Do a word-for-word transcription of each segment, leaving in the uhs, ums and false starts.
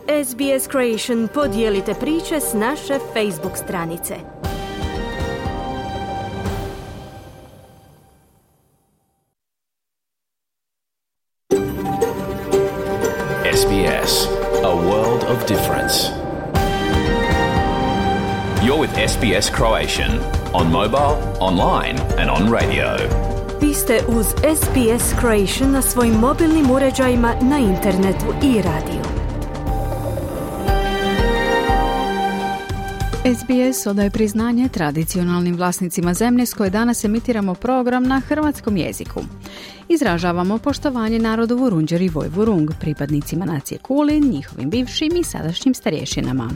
S B S Creation podijelite priče s naše Facebook stranice. S B S, a world of difference. You're with S B S Croatian on mobile, online and on radio. Vi ste uz S B S Croatian na svojim mobilnim uređajima, na internetu i radiju. S B S odaje priznanje tradicionalnim vlasnicima zemlje s koje danas emitiramo program na hrvatskom jeziku. Izražavamo poštovanje narodu Vurundjer i Vojvurung, pripadnicima nacije Kulin, njihovim bivšim i sadašnjim starješinama.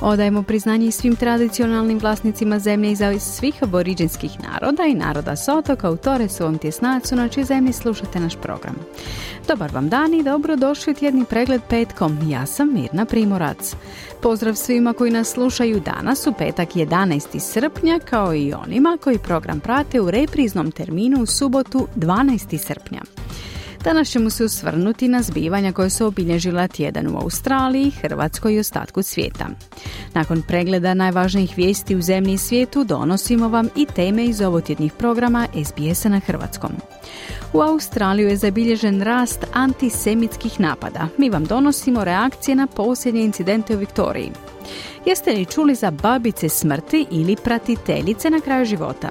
Odajemo priznanje i svim tradicionalnim vlasnicima zemlje iz svih aboriđinskih naroda i naroda s otoka u Toresovom tjesnacu na čijoj zemlji slušate naš program. Dobar vam dan i dobrodošli u tjedni pregled petkom. Ja sam Mirna Primorac. Pozdrav svima koji nas slušaju danas u petak jedanaesti srpnja, kao i onima koji program prate u repriznom terminu u subotu dvanaesti srpnja. Danas ćemo se osvrnuti na zbivanja koje su obilježila tjedan u Australiji, Hrvatskoj i ostatku svijeta. Nakon pregleda najvažnijih vijesti u zemlji i svijetu donosimo vam i teme iz ovotjednih programa S B S-a na hrvatskom. U Australiju je zabilježen rast antisemitskih napada. Mi vam donosimo reakcije na posljednje incidente u Viktoriji. Jeste li čuli za babice smrti ili pratiteljice na kraju života?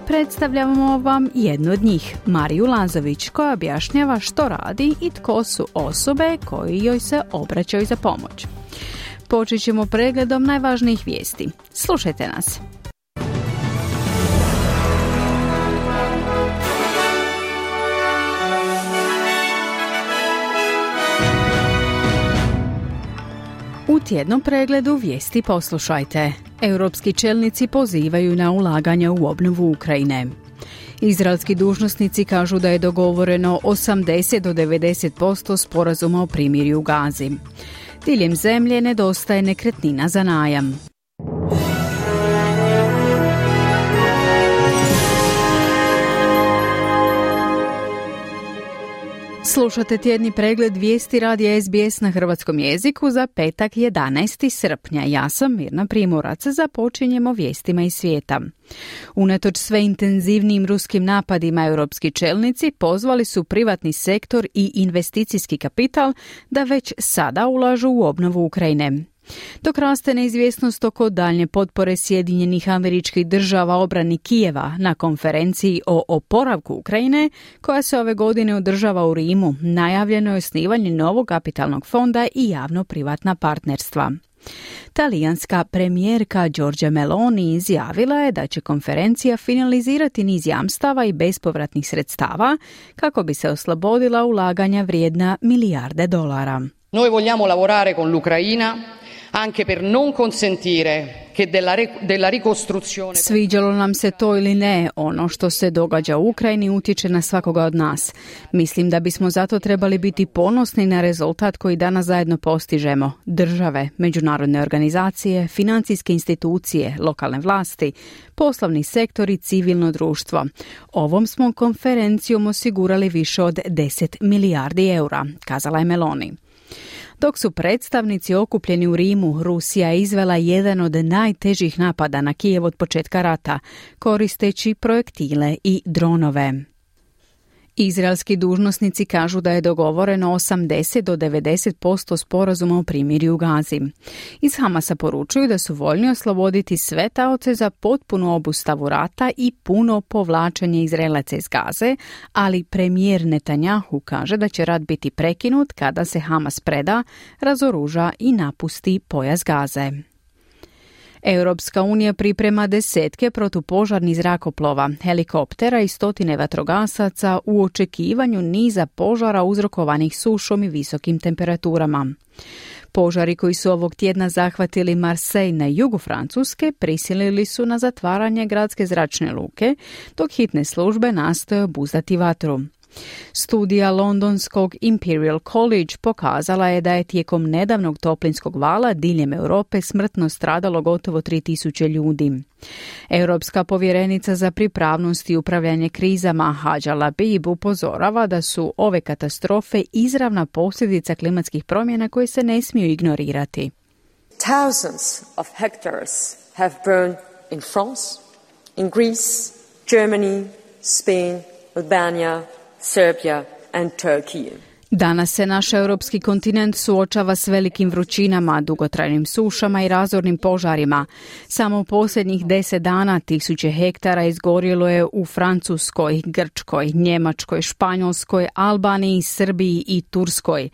Predstavljamo vam jednu od njih, Mariju Lazović, koja objašnjava što radi i tko su osobe koji joj se obraćaju za pomoć. Počet ćemo pregledom najvažnijih vijesti. Slušajte nas. U tjednom pregledu vijesti poslušajte. Europski čelnici pozivaju na ulaganja u obnovu Ukrajine. Izraelski dužnosnici kažu da je dogovoreno osamdeset do devedeset posto sporazuma o primirju u Gazi. Diljem zemlje nedostaje nekretnina za najam. Slušate tjedni pregled vijesti radija S B S na hrvatskom jeziku za petak jedanaesti srpnja. Ja sam Mirna Primorac, započinjemo vijestima iz svijeta. Unatoč sve intenzivnijim ruskim napadima, europski čelnici pozvali su privatni sektor i investicijski kapital da već sada ulažu u obnovu Ukrajine. Dok raste neizvjesnost oko daljnje potpore Sjedinjenih Američkih Država obrani Kijeva na konferenciji o oporavku Ukrajine, koja se ove godine održava u Rimu, najavljeno je osnivanje novog kapitalnog fonda i javno-privatna partnerstva. Talijanska premijerka Giorgia Meloni izjavila je da će konferencija finalizirati niz jamstava i bespovratnih sredstava kako bi se oslobodila ulaganja vrijedna milijarde dolara. Noi vogliamo lavorare con l'Ucraina anche per non consentire che della, della ricostruzione. Sviđalo nam se to ili ne, ono što se događa u Ukrajini utječe na svakoga od nas. Mislim da bismo zato trebali biti ponosni na rezultat koji danas zajedno postižemo. Države, međunarodne organizacije, financijske institucije, lokalne vlasti, poslovni sektor i civilno društvo. Ovom smo konferencijom osigurali više od deset milijardi eura, kazala je Meloni. Dok su predstavnici okupljeni u Rimu, Rusija je izvela jedan od najtežih napada na Kijev od početka rata, koristeći projektile i dronove. Izraelski dužnosnici kažu da je dogovoreno osamdeset do devedeset posto sporazuma o primirju u Gazi. Iz Hamasa poručuju da su voljni osloboditi sve taoce za potpunu obustavu rata i puno povlačenje Izraelaca iz Gaze, ali premijer Netanjahu kaže da će rat biti prekinut kada se Hamas preda, razoruža i napusti pojas Gaze. Europska unija priprema desetke protupožarnih zrakoplova, helikoptera i stotine vatrogasaca u očekivanju niza požara uzrokovanih sušom i visokim temperaturama. Požari koji su ovog tjedna zahvatili Marseille na jugu Francuske prisilili su na zatvaranje gradske zračne luke, dok hitne službe nastoje obuzdati vatru. Studija londonskog Imperial College pokazala je da je tijekom nedavnog toplinskog vala diljem Europe smrtno stradalo gotovo tri tisuće ljudi. Europska povjerenica za pripravnost i upravljanje krizama Hadja Labib upozorava da su ove katastrofe izravna posljedica klimatskih promjena koje se ne smiju ignorirati. Thousands of hectares have burned in France, in Greece, Germany, Spain, Albania, Serbia and Turkey. Danas se naš europski kontinent suočava s velikim vrućinama, dugotrajnim sušama i razornim požarima. Samo u posljednjih deset dana tisuće hektara izgorjelo je u Francuskoj, Grčkoj, Njemačkoj, Španjolskoj, Albaniji, Srbiji i Turskoj.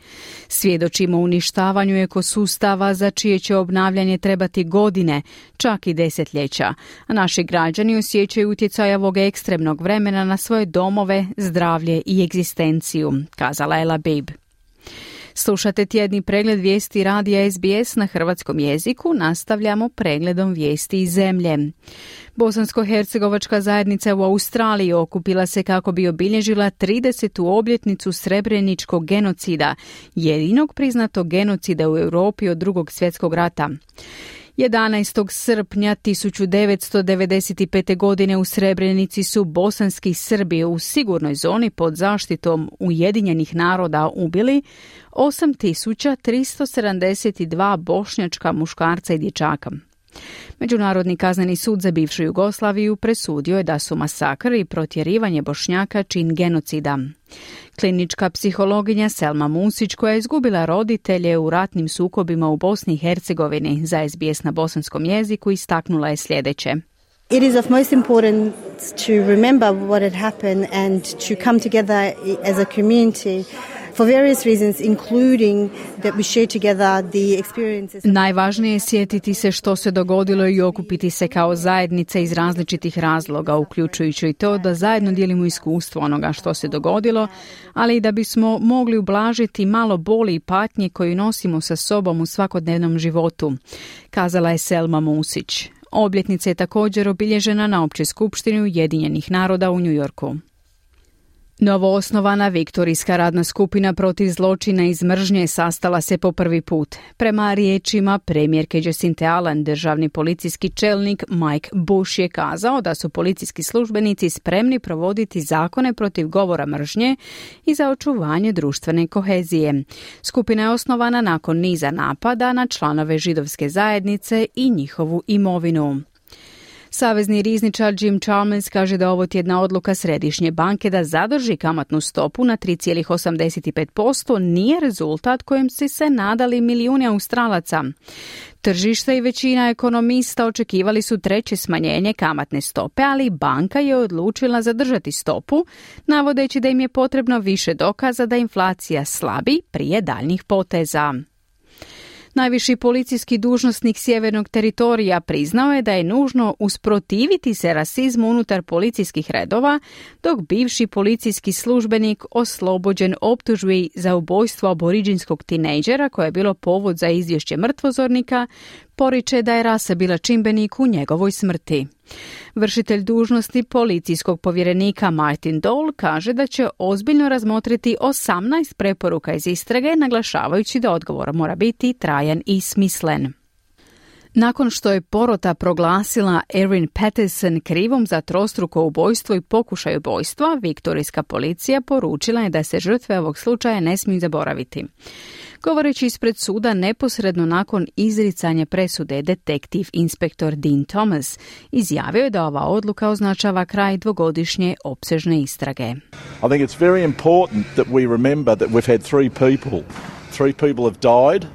Svjedočimo uništavanju ekosustava za čije će obnavljanje trebati godine, čak i desetljeća. A naši građani osjećaju utjecaj ovog ekstremnog vremena na svoje domove, zdravlje i egzistenciju, kazala je Labib. Slušate tjedni pregled vijesti radija S B S na hrvatskom jeziku, nastavljamo pregledom vijesti iz zemlje. Bosansko-hercegovačka zajednica u Australiji okupila se kako bi obilježila tridesetu obljetnicu srebreničkog genocida, jedinog priznatog genocida u Europi od Drugog svjetskog rata. jedanaestog srpnja tisuću devetsto devedeset pete. godine u Srebrenici su bosanski Srbi u sigurnoj zoni pod zaštitom Ujedinjenih naroda ubili osam tisuća tristo sedamdeset dva bošnjačka muškarca i dječaka. Međunarodni kazneni sud za bivšu Jugoslaviju presudio je da su masakr i protjerivanje Bošnjaka čin genocida. Klinička psihologinja Selma Musić, koja je izgubila roditelje u ratnim sukobima u Bosni i Hercegovini, za S B S na bosanskom jeziku istaknula je sljedeće. It is of most importance to remember what had happened and to come together as a community for various reasons, including that we share together the experiences. Najvažnije je sjetiti se što se dogodilo i okupiti se kao zajednica iz različitih razloga, uključujući i to da zajedno dijelimo iskustvo onoga što se dogodilo, ali i da bismo mogli ublažiti malo boli i patnje koju nosimo sa sobom u svakodnevnom životu, kazala je Selma Musić. Obljetnica je također obilježena na Općoj skupštini Ujedinjenih naroda u New Yorku. Novoosnovana Viktorijska radna skupina protiv zločina iz mržnje sastala se po prvi put. Prema riječima premijerke Jacinthe Allen, državni policijski čelnik Mike Bush je kazao da su policijski službenici spremni provoditi zakone protiv govora mržnje i za očuvanje društvene kohezije. Skupina je osnovana nakon niza napada na članove židovske zajednice i njihovu imovinu. Savezni rizničar Jim Chalmers kaže da ovo tjedna odluka Središnje banke da zadrži kamatnu stopu na tri zarez osamdeset pet posto nije rezultat kojem su se nadali milijuni Australaca. Tržište i većina ekonomista očekivali su treće smanjenje kamatne stope, ali banka je odlučila zadržati stopu, navodeći da im je potrebno više dokaza da inflacija slabi prije daljnjih poteza. Najviši policijski dužnosnik sjevernog teritorija priznao je da je nužno usprotiviti se rasizmu unutar policijskih redova, dok bivši policijski službenik oslobođen optužbi za ubojstvo aboriđinskog tinejdžera koje je bilo povod za izvješće mrtvozornika, poriče da je rasa bila čimbenik u njegovoj smrti. Vršitelj dužnosti policijskog povjerenika Martin Dole kaže da će ozbiljno razmotriti osamnaest preporuka iz istrage, naglašavajući da odgovor mora biti trajan i smislen. Nakon što je porota proglasila Erin Patterson krivom za trostruko ubojstvo i pokušaj ubojstva, viktorijska policija poručila je da se žrtve ovog slučaja ne smiju zaboraviti. Govoreći ispred suda neposredno nakon izricanja presude, detektiv inspektor Dean Thomas izjavio je da ova odluka označava kraj dvogodišnje opsežne istrage. I think it's very important that we remember that we've had three people. Three people have died.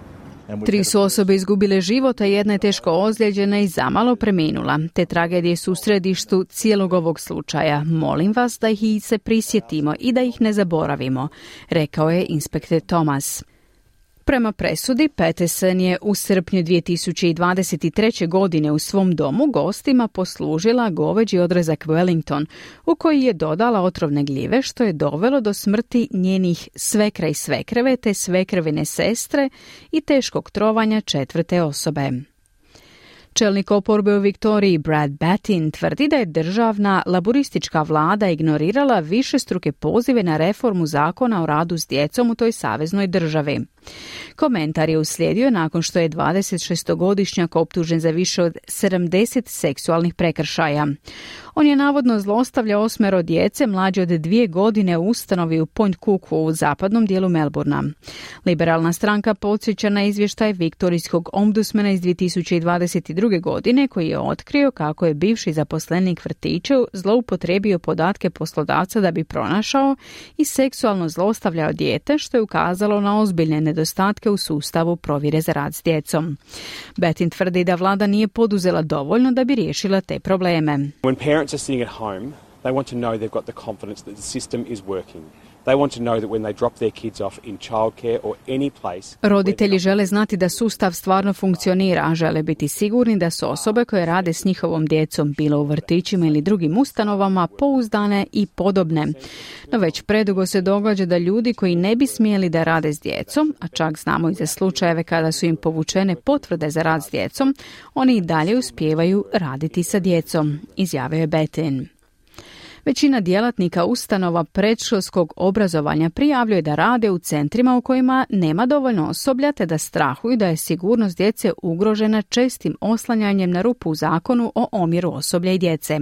Tri su osobe izgubile život, a jedna je teško ozlijeđena i zamalo preminula. Te tragedije su u središtu cijelog ovog slučaja. Molim vas da ih se prisjetimo i da ih ne zaboravimo, rekao je inspektor Thomas. Prema presudi, Patterson je u srpnju dvije tisuće dvadeset treće. godine u svom domu gostima poslužila goveđi odrezak Wellington, u koji je dodala otrovne gljive, što je dovelo do smrti njenih svekra i svekreve te svekrvine sestre i teškog trovanja četvrte osobe. Čelnik oporbe u Viktoriji Brad Battin tvrdi da je državna laboristička vlada ignorirala višestruke pozive na reformu zakona o radu s djecom u toj saveznoj državi. Komentar je uslijedio nakon što je dvadesetšestogodišnjak optužen za više od sedamdeset seksualnih prekršaja. On je navodno zlostavljao osmero djece mlađe od dvije godine u ustanovi u Point Cooku u zapadnom dijelu Melbourna. Liberalna stranka podsjeća na izvještaj viktorijskog ombudsmana iz dvije tisuće dvadeset druge. godine koji je otkrio kako je bivši zaposlenik vrtića zloupotrijebio podatke poslodavca da bi pronašao i seksualno zlostavljao dijete, što je ukazalo na ozbiljne nedostatke u sustavu provjere za rad s djecom. Battin tvrdi da vlada nije poduzela dovoljno da bi riješila te probleme. When parents are sitting at home, they want to know they've got the confidence that the system is working. They want to know that when they drop their kids off in childcare or any place. Roditelji žele znati da sustav stvarno funkcionira, a žele biti sigurni da su osobe koje rade s njihovom djecom, bilo u vrtićima ili drugim ustanovama, pouzdane i podobne. No već predugo se događa da ljudi koji ne bi smjeli da rade s djecom, a čak znamo i za slučajeve kada su im povučene potvrde za rad s djecom, oni i dalje uspijevaju raditi sa djecom, izjavio je Battin. Većina djelatnika ustanova predškolskog obrazovanja prijavljuje da rade u centrima u kojima nema dovoljno osoblja te da strahuju da je sigurnost djece ugrožena čestim oslanjanjem na rupu u zakonu o omjeru osoblja i djece.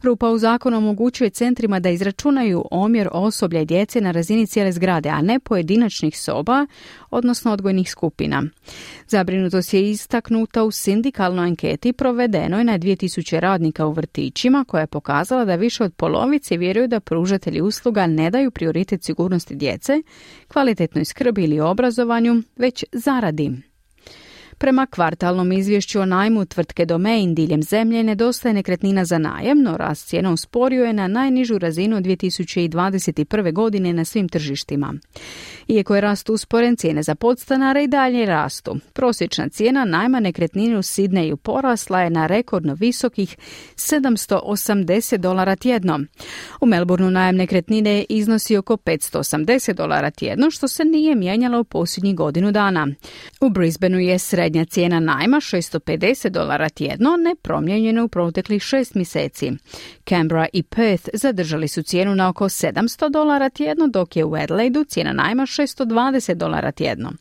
Rupa u zakonu omogućuje centrima da izračunaju omjer osoblja i djece na razini cijele zgrade, a ne pojedinačnih soba, odnosno odgojnih skupina. Zabrinutost je istaknuta u sindikalnoj anketi provedenoj na dvije tisuće radnika u vrtićima, koja je pokazala da više od polovice vjeruju da pružatelji usluga ne daju prioritet sigurnosti djece, kvalitetnoj skrbi ili obrazovanju, već zaradi. Prema kvartalnom izvješću o najmu tvrtke Domain diljem zemlje nedostaje nekretnina za najam, no rast cijena usporio je na najnižu razinu od dvije tisuće dvadeset prve. godine na svim tržištima. Iako je rast usporen, cijene za podstanare i dalje rastu. Prosječna cijena najma nekretnine u Sidneju porasla je na rekordno visokih sedamsto osamdeset dolara tjedno. U Melbourneu najam nekretnine iznosi oko petsto osamdeset dolara tjedno, što se nije mijenjalo u posljednjih godinu dana. U Brisbaneu je srednja cijena najma šesto pedeset dolara tjedno, nepromijenjena u proteklih šest mjeseci. Canberra i Perth zadržali su cijenu na oko sedamsto dolara tjedno, dok je u Adelaidu cijena najma šesto dvadeset dolara tjedno.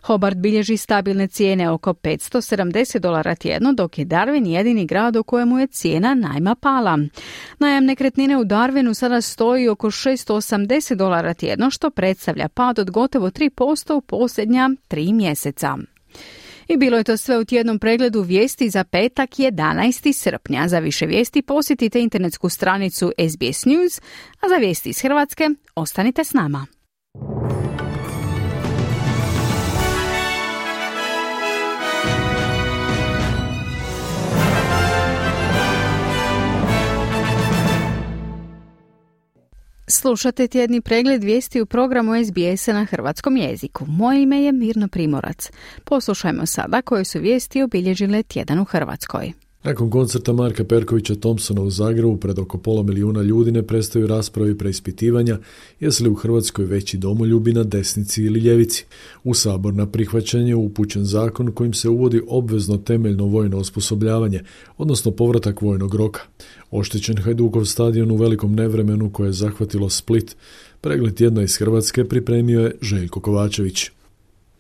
Hobart bilježi stabilne cijene oko petsto sedamdeset dolara tjedno, dok je Darwin jedini grad u kojemu je cijena najma pala. Najam nekretnine u Darwinu sada stoji oko šesto osamdeset dolara tjedno, što predstavlja pad od gotovo tri posto u posljednja tri mjeseca. I bilo je to sve u tjednom pregledu vijesti za petak jedanaesti srpnja. Za više vijesti posjetite internetsku stranicu S B S News, a za vijesti iz Hrvatske ostanite s nama. Slušate tjedni pregled vijesti u programu S B S-a na hrvatskom jeziku. Moje ime je Mirna Primorac. Poslušajmo sada koje su vijesti obilježile tjedan u Hrvatskoj. Nakon koncerta Marka Perkovića Thompsona u Zagrebu pred oko pola milijuna ljudi ne prestaju rasprave i preispitivanja jesu li u Hrvatskoj veći domoljubi na desnici ili ljevici. U Sabor na prihvaćanje upućen zakon kojim se uvodi obvezno temeljno vojno osposobljavanje, odnosno povratak vojnog roka. Oštećen Hajdukov stadion u velikom nevremenu koje je zahvatilo Split. Pregled tjedna iz Hrvatske pripremio je Željko Kovačević.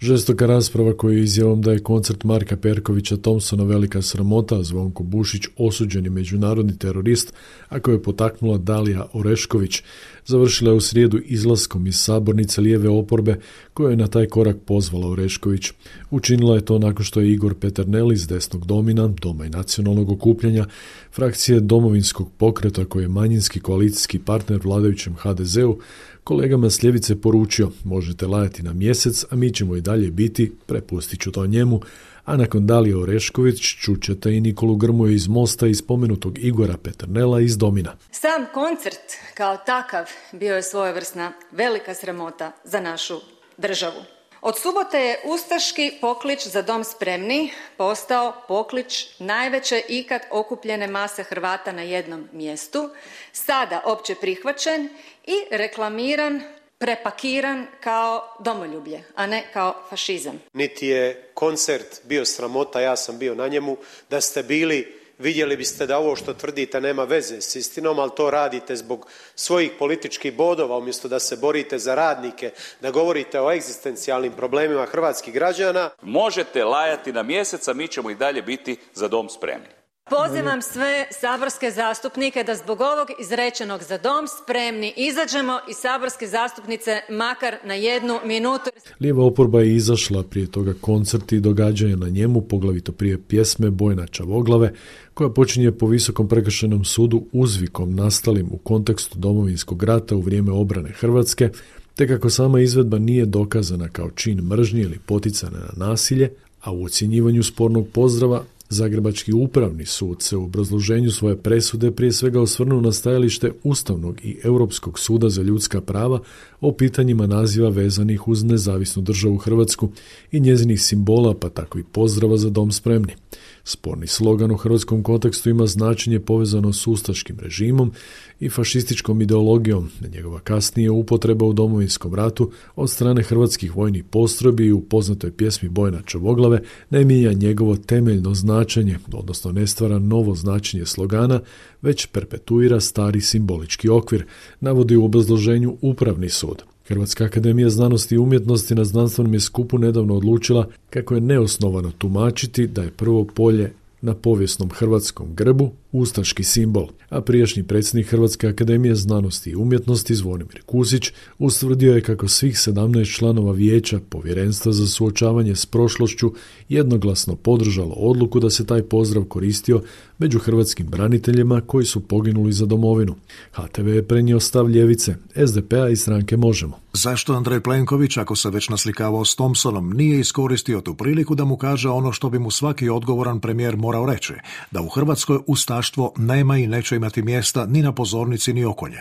Žestoka rasprava koju je izjavom da je koncert Marka Perkovića Thompsona velika sramota, a Zvonko Bušić osuđeni međunarodni terorist, a koju je potaknula Dalija Orešković, završila je u srijedu izlaskom iz sabornice lijeve oporbe koju je na taj korak pozvala Orešković. Učinila je to nakon što je Igor Peternel iz desnog domina, Doma i nacionalnog okupljanja, frakcije Domovinskog pokreta koji je manjinski koalicijski partner vladajućem H D Z-u, kolegama s ljevice poručio: možete lajati na mjesec, a mi ćemo i dalje biti, prepustit ću to njemu. A nakon Dalije Orešković čućete i Nikolu Grmoju iz Mosta i spomenutog Igora Peternela iz Domina. Sam koncert kao takav bio je svojevrsna velika sramota za našu državu. Od subote je ustaški poklič Za dom spremni postao poklič najveće ikad okupljene mase Hrvata na jednom mjestu, sada opće prihvaćen i reklamiran prepakiran kao domoljublje, a ne kao fašizam. Niti je koncert bio sramota, ja sam bio na njemu. Da ste bili, vidjeli biste da ovo što tvrdite nema veze s istinom, ali to radite zbog svojih političkih bodova, umjesto da se borite za radnike, da govorite o egzistencijalnim problemima hrvatskih građana. Možete lajati na mjesec, a mi ćemo i dalje biti za dom spremni. Pozivam sve saborske zastupnike da zbog ovog izrečenog za dom spremni izađemo iz saborske zastupnice makar na jednu minutu. Lijeva oporba je izašla prije toga koncerti i događanja na njemu, poglavito prije pjesme Bojana Čavoglave, koja počinje po Visokom prekršajnom sudu uzvikom nastalim u kontekstu Domovinskog rata u vrijeme obrane Hrvatske, te kako sama izvedba nije dokazana kao čin mržnje ili poticana na nasilje, a u ocjenjivanju spornog pozdrava Zagrebački upravni sud se u obrazloženju svoje presude prije svega osvrnuo na stajalište Ustavnog i Europskog suda za ljudska prava o pitanjima naziva vezanih uz nezavisnu državu Hrvatsku i njezinih simbola, pa tako i pozdrava za dom spremni. Sporni slogan u hrvatskom kontekstu ima značenje povezano s ustaškim režimom i fašističkom ideologijom, na njegova kasnije upotreba u Domovinskom ratu od strane hrvatskih vojnih postrojbi i u poznatoj pjesmi Bojana Čavoglave ne mijenja njegovo temeljno značenje, odnosno ne stvara novo značenje slogana, već perpetuira stari simbolički okvir, navodi u obrazloženju Upravni sud. Hrvatska akademija znanosti i umjetnosti na znanstvenom je skupu nedavno odlučila kako je neosnovano tumačiti da je prvo polje na povijesnom hrvatskom grbu ustaški simbol, a prijašnji predsjednik Hrvatske akademije znanosti i umjetnosti Zvonimir Kusić ustvrdio je kako svih sedamnaest članova vijeća Povjerenstva za suočavanje s prošlošću jednoglasno podržalo odluku da se taj pozdrav koristio među hrvatskim braniteljima koji su poginuli za domovinu. H T V je prenio stav ljevice, S D P-a i stranke Možemo. Zašto Andrej Plenković, ako se već naslikavao s Thompsonom, nije iskoristio tu priliku da mu kaže ono što bi mu svaki odgovoran premijer morao reći, da u Hrvatskoj ustaštvo nema i neće imati mjesta ni na pozornici ni okolje.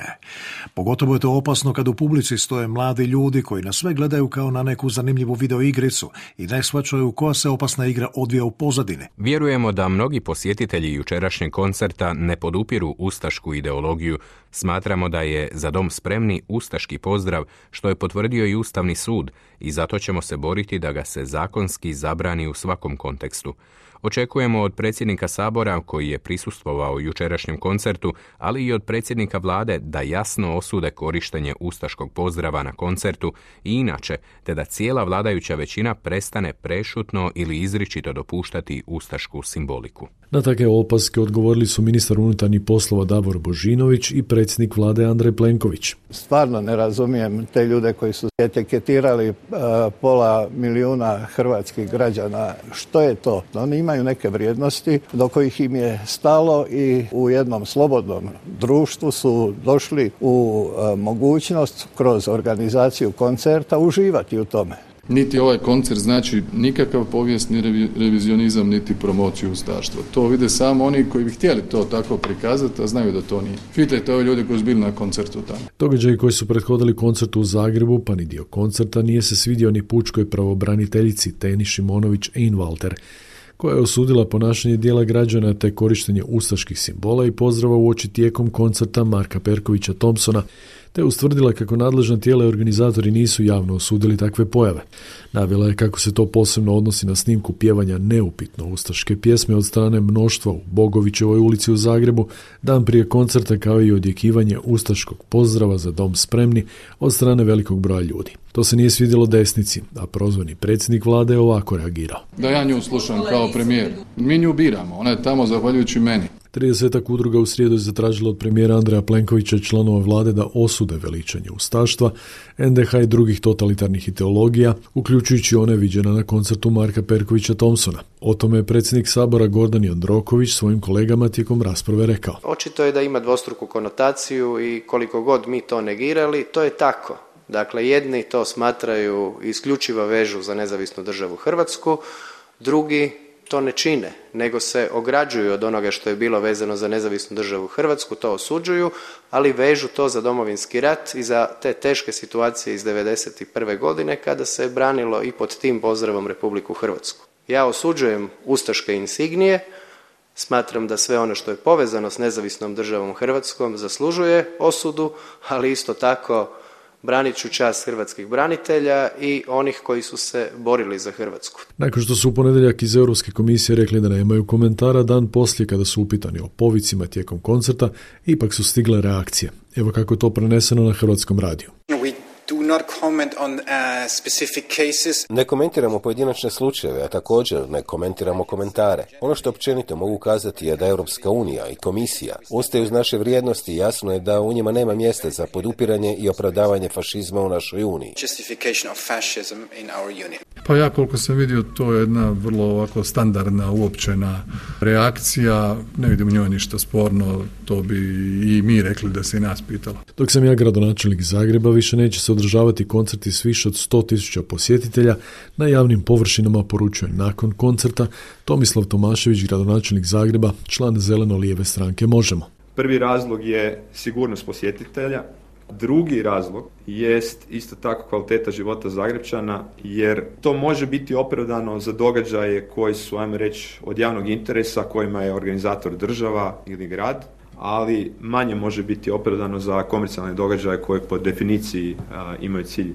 Pogotovo je to opasno kad u publici stoje mladi ljudi koji na sve gledaju kao na neku zanimljivu videoigricu i ne shvaćaju koja se opasna igra odvija u pozadini. Vjerujemo da mnogi posjetitelji jučerašnjeg koncerta ne podupiru ustašku ideologiju. Smatramo da je za dom spremni ustaški pozdrav, što je potvrdio i Ustavni sud, i zato ćemo se boriti da ga se zakonski zabrani u svakom kontekstu. Očekujemo od predsjednika Sabora, koji je prisustvovao jučerašnjem koncertu, ali i od predsjednika vlade da jasno osude korištenje ustaškog pozdrava na koncertu i inače, te da cijela vladajuća većina prestane prešutno ili izričito dopuštati ustašku simboliku. Na takve opaske odgovorili su ministar unutarnjih poslova Davor Božinović i predsjednik vlade Andrej Plenković. Stvarno ne razumijem te ljude koji su etiketirali uh, pola milijuna hrvatskih građana. Što je to? Oni imaju neke vrijednosti do kojih im je stalo i u jednom slobodnom društvu su došli u uh, mogućnost kroz organizaciju koncerta uživati u tome. Niti ovaj koncert znači nikakav povijesni revizionizam, niti promociju ustaštva. To vide samo oni koji bi htjeli to tako prikazati, a znaju da to nije. Pitajte ove ljude koji su bili na koncertu tamo. Događaji koji su prethodili koncertu u Zagrebu, pa ni dio koncerta, nije se svidio ni pučkoj pravobraniteljici Teni Šimonović-Einwalter, koja je osudila ponašanje dijela građana te korištenje ustaških simbola i pozdrava uoči tijekom koncerta Marka Perkovića Thompsona, te ustvrdila kako nadležna tijela i organizatori nisu javno osudili takve pojave. Navela je kako se to posebno odnosi na snimku pjevanja neupitno ustaške pjesme od strane mnoštva u Bogovićevoj ulici u Zagrebu dan prije koncerta, kao i odjekivanje ustaškog pozdrava za dom spremni od strane velikog broja ljudi. To se nije svidjelo desnici, a prozvani predsjednik vlade je ovako reagirao. Da ja nju slušam kao premijer. Mi nju biramo, ona je tamo zahvaljujući meni. tridesetak udruga u srijedu je zatražilo od premijera Andreja Plenkovića i članova vlade da osude veličanje ustaštva, en de ha i drugih totalitarnih ideologija, uključujući one viđene na koncertu Marka Perkovića Thompsona. O tome je predsjednik Sabora Gordan Jandroković svojim kolegama tijekom rasprave rekao. Očito je da ima dvostruku konotaciju i koliko god mi to negirali, to je tako. Dakle, jedni to smatraju isključivo vežu za nezavisnu državu Hrvatsku, drugi to ne čine, nego se ograđuju od onoga što je bilo vezano za nezavisnu državu Hrvatsku, to osuđuju, ali vežu to za Domovinski rat i za te teške situacije iz devedeset prve godine kada se branilo i pod tim pozdravom Republiku Hrvatsku. Ja osuđujem ustaške insignije, smatram da sve ono što je povezano s nezavisnom državom Hrvatskom zaslužuje osudu, ali isto tako branit ću čast hrvatskih branitelja i onih koji su se borili za Hrvatsku. Nakon što su u ponedjeljak iz Europske komisije rekli da nemaju komentara, dan poslije kada su upitani o povicima tijekom koncerta, ipak su stigle reakcije. Evo kako je to preneseno na Hrvatskom radiju. Do not comment on uh, specific cases. Ne komentiramo pojedinačne slučajeve, a također ne komentiramo komentare. Ono što općenito mogu kazati je da Europska unija i komisija ustaju uz naše vrijednosti i jasno je da u njima nema mjesta za podupiranje i opravdavanje fašizma u našoj uniji. Justification of fascism in our union. Pa ja koliko sam vidio, to je jedna vrlo ovako standardna, uopćena reakcija. Ne vidim u njoj ništa sporno, to bi i mi rekli da se i nas pitalo. Dok sam ja gradonačelnik Zagreba, više neće se održavati koncerti s više od sto tisuća posjetitelja na javnim površinama, poručuje nakon koncerta Tomislav Tomašević, gradonačelnik Zagreba, član zeleno-lijeve stranke Možemo. Prvi razlog je sigurnost posjetitelja. Drugi razlog jest isto tako kvaliteta života Zagrepčana, jer to može biti opravdano za događaje koji su, ajmo reći, od javnog interesa, kojima je organizator država ili grad, ali manje može biti opravdano za komercijalne događaje koje po definiciji a, imaju cilj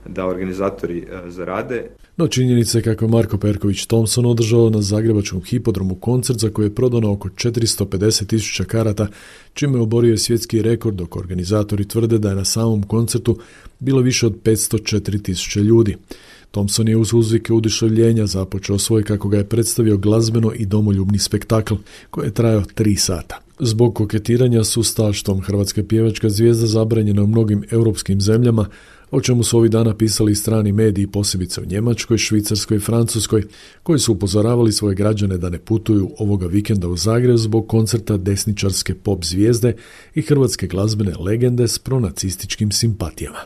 da organizatori a, zarade. No činjenica je kako je Marko Perković Thompson održao na zagrebačkom hipodromu koncert za koji je prodano oko četiristo pedeset tisuća karata, čime je oborio svjetski rekord, dok organizatori tvrde da je na samom koncertu bilo više od petsto četiri tisuće ljudi. Thompson je uz uzvike uduševljenja započeo svoj, kako ga je predstavio, glazbeno i domoljubni spektakl koji je trajao tri sata. Zbog koketiranja s ustaštvom hrvatska pjevačka zvijezda zabranjena u mnogim europskim zemljama, o čemu su ovih dana pisali strani mediji, posebice u Njemačkoj, Švicarskoj i Francuskoj, koji su upozoravali svoje građane da ne putuju ovoga vikenda u Zagreb zbog koncerta desničarske pop zvijezde i hrvatske glazbene legende s pronacističkim simpatijama.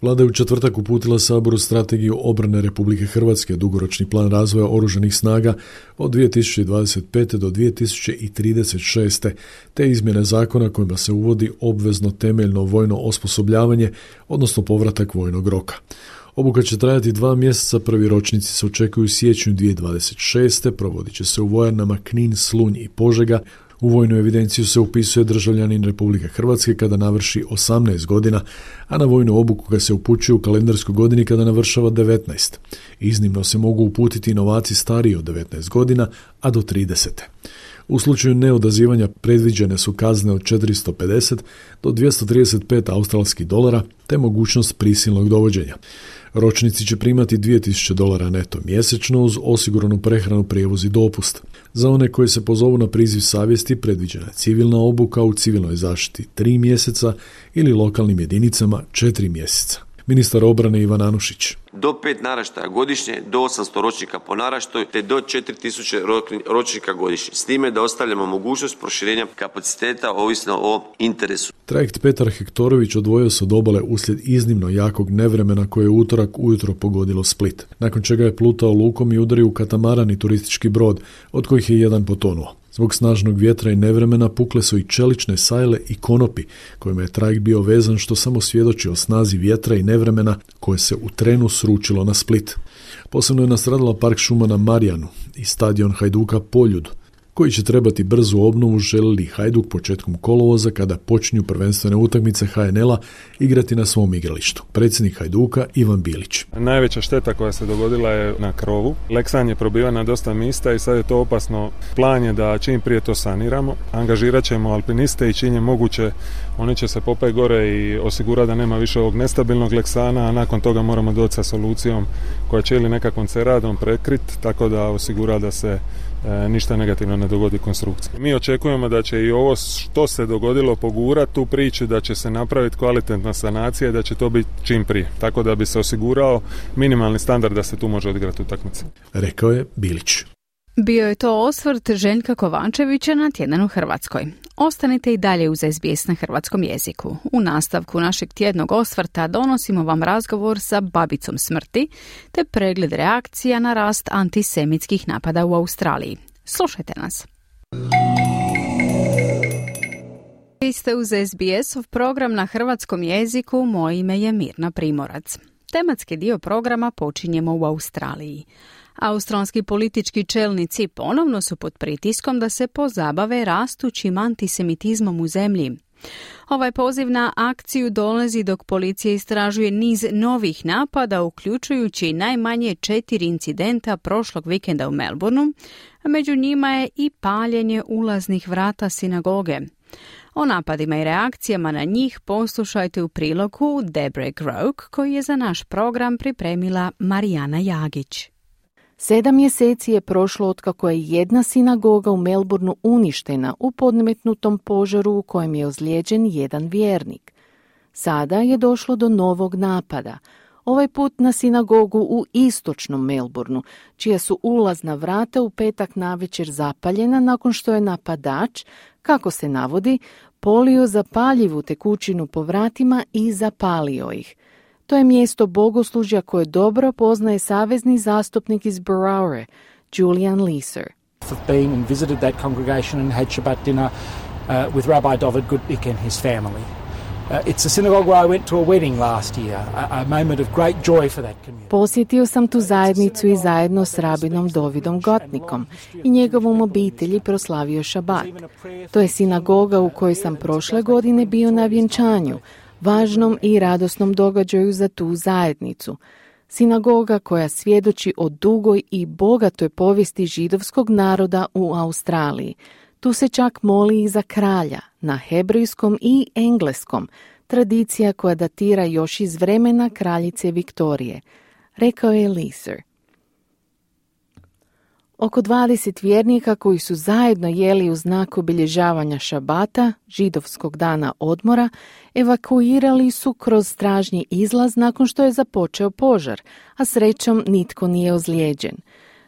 Vlada je u četvrtak uputila Saboru strategiju obrane Republike Hrvatske, dugoročni plan razvoja oružanih snaga od dvije tisuće dvadeset pete do dvije tisuće trideset šeste, te izmjene zakona kojima se uvodi obvezno temeljno vojno osposobljavanje, odnosno povratak vojnog roka. Obuka će trajati dva mjeseca, prvi ročnici se očekuju u siječnju dvije tisuće dvadeset šeste, provodit će se u vojarnama Knin, Slunj i Požega. U vojnu evidenciju se upisuje državljanin Republike Hrvatske kada navrši osamnaest godina, a na vojnu obuku ga se upućuje u kalendarskoj godini kada navršava devetnaest. Iznimno se mogu uputiti novaci stariji od devetnaest godina, a do trideset. U slučaju neodazivanja predviđene su kazne od četiristo pedeset do dvjesto trideset pet australskih dolara, te mogućnost prisilnog dovođenja. Ročnici će primati dvije tisuće dolara neto mjesečno uz osiguranu prehranu, prijevoz i dopust. Za one koji se pozovu na priziv savjesti predviđena je civilna obuka u civilnoj zaštiti tri mjeseca ili lokalnim jedinicama četiri mjeseca. Ministar obrane Ivan Anušić. Do pet naraštaja godišnje, do osamsto ročnika po naraštaju, te do četiri tisuće ročnika godišnje. S time da ostavljamo mogućnost proširenja kapaciteta ovisno o interesu. Trajekt Petar Hektorović odvojio se od obale uslijed iznimno jakog nevremena koje je utorak ujutro pogodilo Split. Nakon čega je plutao lukom i udario u katamaran i turistički brod, od kojih je jedan potonuo. Zbog snažnog vjetra i nevremena pukle su i čelične sajle i konopi, kojima je trajekt bio vezan, što samo svjedoči o snazi vjetra i nevremena koje se u trenu sručilo na Split. Posebno je nastradala park šuma na Marjanu i stadion Hajduka Poljud, koji će trebati brzu obnovu, želi li Hajduk početkom kolovoza, kada počinju prvenstvene utakmice ha en el-a, igrati na svom igralištu. Predsjednik Hajduka Ivan Bilić. Najveća šteta koja se dogodila je na krovu. Leksan je probivan na dosta mjesta i sad je to opasno. Plan je da čim prije to saniramo. Angažirat ćemo alpiniste i čim je moguće oni će se popeti gore i osigurati da nema više ovog nestabilnog leksana, a nakon toga moramo doći sa solucijom koja će ili nekakvom ceradom prekrit, tako da osigura da se E, ništa negativno ne dogodi konstrukciji. Mi očekujemo da će i ovo što se dogodilo pogurati tu priču, da će se napraviti kvalitetna sanacija i da će to biti čim prije. Tako da bi se osigurao minimalni standard da se tu može odigrati utakmica. Rekao je Bilić. Bio je to osvrt Željka Kovančevića na Tjedan u Hrvatskoj. Ostanite i dalje uz es be es na hrvatskom jeziku. U nastavku našeg tjednog osvrta donosimo vam razgovor sa babicom smrti te pregled reakcija na rast antisemitskih napada u Australiji. Slušajte nas. Vi ste uz es be es-ov program na hrvatskom jeziku. Moje ime je Mirna Primorac. Tematski dio programa počinjemo u Australiji. Australski politički čelnici ponovno su pod pritiskom da se pozabave rastućim antisemitizmom u zemlji. Ovaj poziv na akciju dolazi dok policija istražuje niz novih napada, uključujući najmanje četiri incidenta prošlog vikenda u Melbourneu, a među njima je i paljenje ulaznih vrata sinagoge. O napadima i reakcijama na njih poslušajte u prilogu Debre Groke, koji je za naš program pripremila Marijana Jagić. Sedam mjeseci je prošlo otkako je jedna sinagoga u Melbourneu uništena u podmetnutom požaru u kojem je ozlijeđen jedan vjernik. Sada je došlo do novog napada, ovaj put na sinagogu u istočnom Melbourneu, čija su ulazna vrata u petak navečer zapaljena nakon što je napadač, kako se navodi, polio zapaljivu tekućinu po vratima i zapalio ih. To je mjesto bogoslužja koje dobro poznaje savezni zastupnik iz Baraure, Julian Leeser. I've been and visited that congregation and had Shabbat dinner uh, with Rabbi David Goodnick and his family. Uh, it's a synagogue where I went to a wedding last year, a, a moment of great joy for that community. Posjetio sam tu zajednicu i zajedno s rabinom Davidom Gottnickom i njegovom obitelji proslavio Šabat. To je sinagoga u kojoj sam prošle godine bio na vjenčanju, važnom i radosnom događaju za tu zajednicu. Sinagoga koja svjedoči o dugoj i bogatoj povijesti židovskog naroda u Australiji. Tu se čak moli i za kralja, na hebrejskom i engleskom, tradicija koja datira još iz vremena kraljice Viktorije, rekao je Leeser. Oko dvadeset vjernika koji su zajedno jeli u znak obilježavanja Šabata, židovskog dana odmora, evakuirali su kroz stražnji izlaz nakon što je započeo požar, a srećom nitko nije ozlijeđen.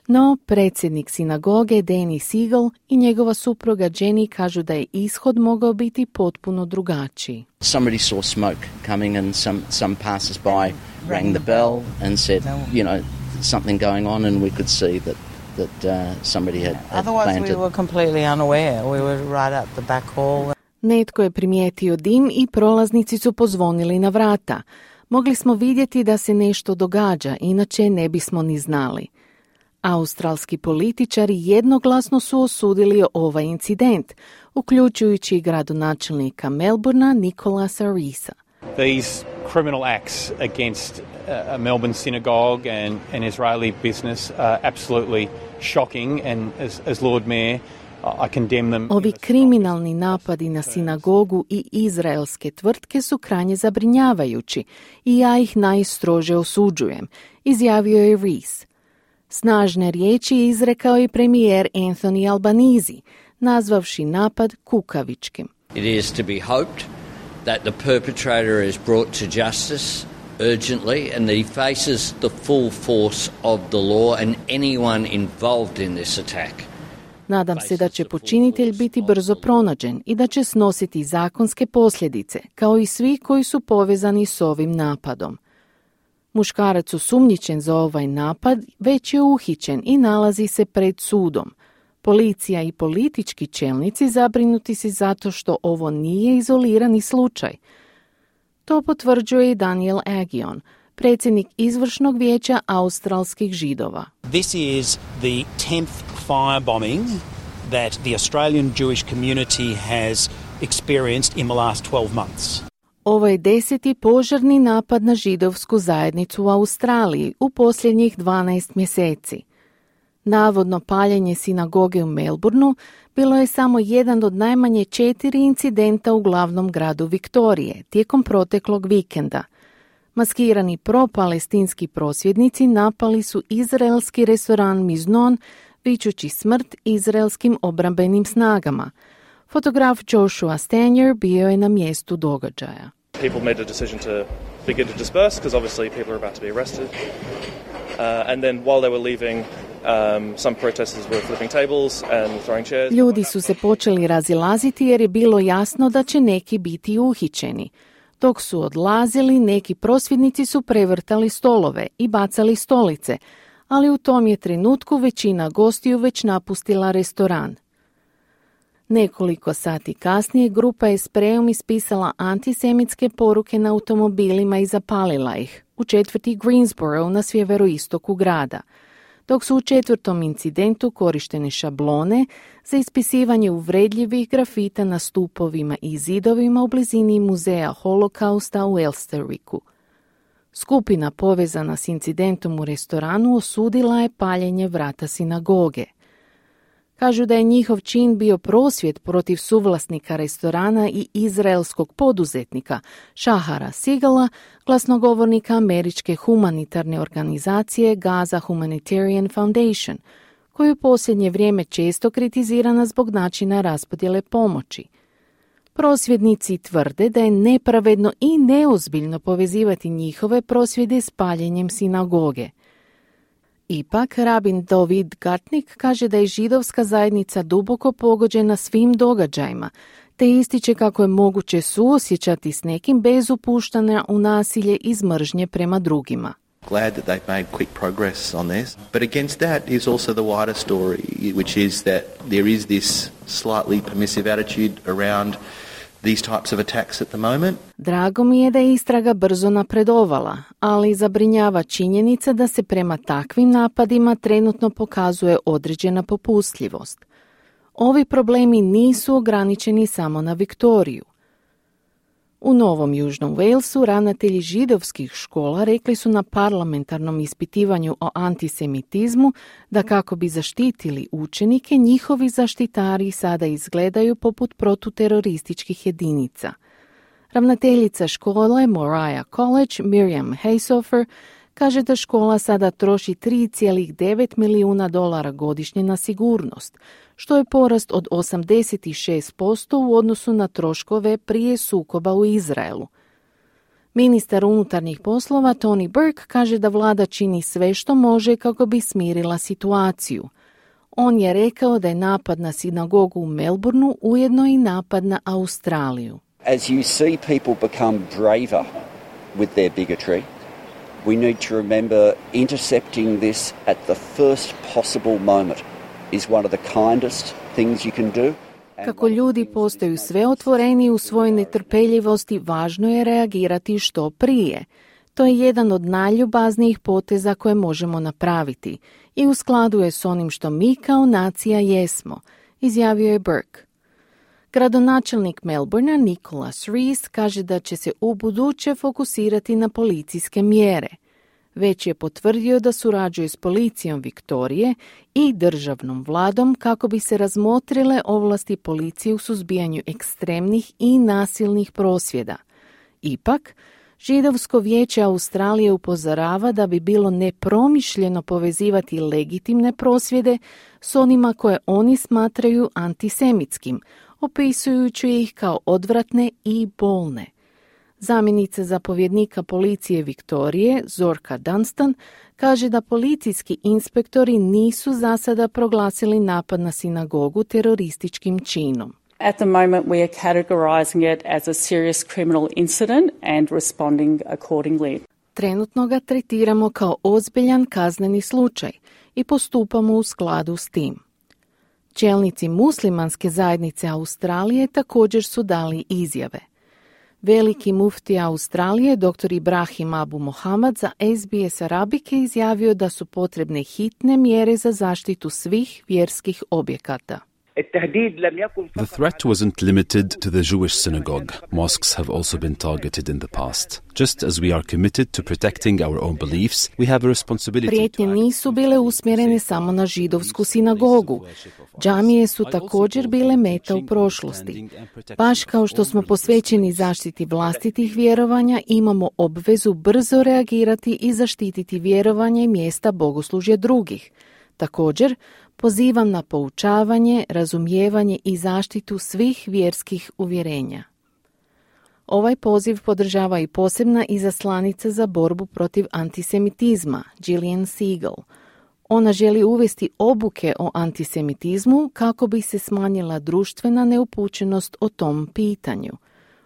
No, predsjednik sinagoge Danny Siegel i njegova supruga Jenny kažu da je ishod mogao biti potpuno drugačiji. Somebody saw smoke coming and some, some passers-by rang the bell and said, you know, something going on, and we could see that that uh, somebody had, had Otherwise planted. we were completely unaware. We were right up the back hall. Netko je primijetio dim i prolaznici su pozvonili na vrata. Mogli smo vidjeti da se nešto događa, inače ne bismo ni znali. Australski političari jednoglasno su osudili ovaj incident, uključujući i gradonačelnika Melbournea Nicolasa Reesa. These criminal acts against a Melbourne synagogue and an Israeli business are absolutely shocking, and as, as Lord Mayor, I condemn them. Ovi kriminalni napadi na sinagogu i izraelske tvrtke su krajnje zabrinjavajući i ja ih najstrože osuđujem, izjavio je Rees. Snažne riječi izrekao je premijer Anthony Albanese, nazvavši napad kukavičkim. It is to be hoped that the perpetrator is brought to justice urgently and that he faces the full force of the law and anyone involved in this attack. Nadam se da će počinitelj biti brzo pronađen i da će snositi zakonske posljedice, kao i svi koji su povezani s ovim napadom. Muškarac osumnjičen za ovaj napad već je uhićen i nalazi se pred sudom. Policija i politički čelnici zabrinuti se zato što ovo nije izolirani slučaj. To potvrđuje i Daniel Agion, predsjednik izvršnog vijeća australskih židova. This is the tenth firebombing that the Australian Jewish community has experienced in the last twelve months. Ovo je deseti požarni napad na židovsku zajednicu u Australiji u posljednjih dvanaest mjeseci. Navodno paljenje sinagoge u Melbourneu bilo je samo jedan od najmanje četiri incidenta u glavnom gradu Viktorije tijekom proteklog vikenda. Maskirani pro-palestinski prosvjednici napali su izraelski restoran Miznon, vičući smrt izraelskim obrambenim snagama. Fotograf Joshua Stanier bio je na mjestu događaja. People made a decision to begin to disperse because obviously people are about to be arrested. Uh, and then while they were leaving, um, some protesters were flipping tables and throwing chairs. Ljudi su se počeli razilaziti jer je bilo jasno da će neki biti uhićeni. Dok su odlazili, neki prosvjednici su prevrtali stolove i bacali stolice, ali u tom je trenutku većina gostiju već napustila restoran. Nekoliko sati kasnije grupa je sprejom ispisala antisemitske poruke na automobilima i zapalila ih u četvrti Greensboro na sjeveroistoku grada. dok su u četvrtom incidentu korištene šablone za ispisivanje uvredljivih grafita na stupovima i zidovima u blizini muzeja Holokausta u Elsteriku. Skupina povezana s incidentom u restoranu osudila je paljenje vrata sinagoge. Kažu da je njihov čin bio prosvjed protiv suvlasnika restorana i izraelskog poduzetnika Shahara Sigala, glasnogovornika američke humanitarne organizacije Gaza Humanitarian Foundation, koju u posljednje vrijeme često kritizirana zbog načina raspodjele pomoći. Prosvjednici tvrde da je nepravedno i neozbiljno povezivati njihove prosvjede s paljenjem sinagoge. Ipak, rabin David Gartnik kaže da je židovska zajednica duboko pogođena svim događajima, te ističe kako je moguće suosjećati s nekim bez upuštanja u nasilje iz mržnje prema drugima. Glad that they've made quick progress on this, but against that is also the wider story, which is that there is this slightly permissive attitude around these types of attacks at the moment. Drago mi je da je istraga brzo napredovala, ali zabrinjava činjenica da se prema takvim napadima trenutno pokazuje određena popustljivost. Ovi problemi nisu ograničeni samo na Viktoriju. U Novom Južnom Walesu ravnatelji židovskih škola rekli su na parlamentarnom ispitivanju o antisemitizmu da kako bi zaštitili učenike, njihovi zaštitari sada izgledaju poput protuterorističkih jedinica. Ravnateljica škole Moriah College, Miriam Haysofer, kaže da škola sada troši tri zarez devet milijuna dolara godišnje na sigurnost, što je porast od osamdeset šest posto u odnosu na troškove prije sukoba u Izraelu. Ministar unutarnjih poslova Tony Burke kaže da vlada čini sve što može kako bi smirila situaciju. On je rekao da je napad na sinagogu u Melbourneu ujedno i napad na Australiju. As you see people become braver with their bigotry, we need to remember intercepting this at the first possible moment is one of the kindest things you can do. Kako ljudi postaju sve otvoreniji u svojoj netrpeljivosti, važno je reagirati što prije. To je jedan od najljubaznijih poteza koje možemo napraviti i u skladu je s onim što mi kao nacija jesmo, izjavio je Burke. Gradonačelnik Melbournea Nicholas Rees kaže da će se ubuduće fokusirati na policijske mjere. Već je potvrdio da surađuje s policijom Viktorije i državnom vladom kako bi se razmotrile ovlasti policije u suzbijanju ekstremnih i nasilnih prosvjeda. Ipak, Židovsko vijeće Australije upozorava da bi bilo nepromišljeno povezivati legitimne prosvjede s onima koje oni smatraju antisemitskim, opisujući ih kao odvratne i bolne. Zamjenica zapovjednika policije Viktorije, Zorka Dunstan, kaže da policijski inspektori nisu za sada proglasili napad na sinagogu terorističkim činom. At the moment we are categorizing it as a serious criminal incident and responding accordingly. Trenutno ga tretiramo kao ozbiljan kazneni slučaj i postupamo u skladu s tim. Čelnici muslimanske zajednice Australije također su dali izjave. Veliki mufti Australije, dr. Ibrahim Abu Mohamed, za S B S Arabic je izjavio da su potrebne hitne mjere za zaštitu svih vjerskih objekata. The threat wasn't limited to the Jewish synagogue. Mosques have also been targeted in the past. Just as we are committed to protecting our own beliefs, we have a responsibility. Prijetnje nisu bile usmjerene samo na židovsku sinagogu. Džamije su također bile meta u prošlosti. Baš kao što smo posvećeni zaštiti vlastitih vjerovanja, imamo obvezu brzo reagirati i zaštititi vjerovanje i mjesta bogoslužja drugih. Također, pozivam na poučavanje, razumijevanje i zaštitu svih vjerskih uvjerenja. Ovaj poziv podržava i posebna izaslanica za borbu protiv antisemitizma, Gillian Segal. Ona želi uvesti obuke o antisemitizmu kako bi se smanjila društvena neupućenost o tom pitanju.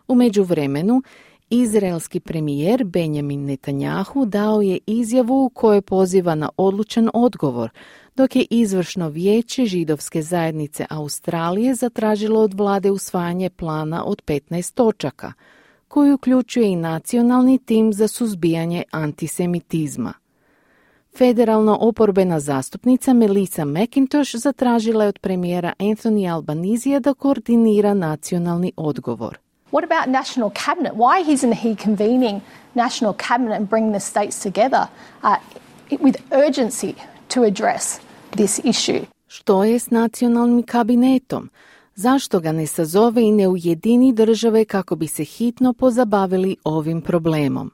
U međuvremenu, izraelski premijer Benjamin Netanjahu dao je izjavu u kojoj poziva na odlučan odgovor, dok je izvršno vijeće židovske zajednice Australije zatražilo od vlade usvajanje plana od petnaest točaka, koji uključuje i nacionalni tim za suzbijanje antisemitizma. Federalna oporbena zastupnica Melissa McIntosh zatražila je od premijera Anthony Albanizija da koordinira nacionalni odgovor. What about national cabinet? Why isn't he convening national cabinet and bringing the states together uh, with urgency to address this issue? Što je s nacionalnim kabinetom? Zašto ga ne sazove i ne ujedini države kako bi se hitno pozabavili ovim problemom?